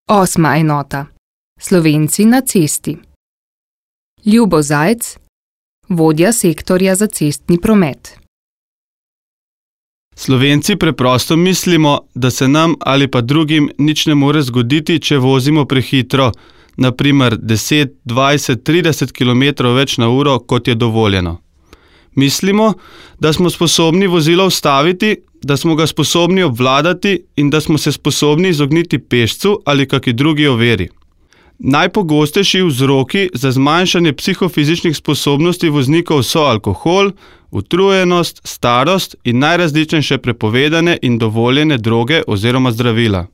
8. enota. Slovenci na cesti. Ljubo Zajc, vodja sektorja za cestni promet. Slovenci preprosto mislimo, da se nam ali pa drugim nič ne more zgoditi, če vozimo prehitro, na primer 10, 20, 30 km več na uro, kot je dovoljeno. Mislimo, da smo sposobni vozilo ustaviti, da smo ga sposobni obvladati in da smo se sposobni izogniti pešcu ali kaki drugi oviri. Najpogostejši vzroki za zmanjšanje psihofizičnih sposobnosti voznikov so alkohol, utrujenost, starost in najrazličnejše prepovedane in dovoljene droge oziroma zdravila.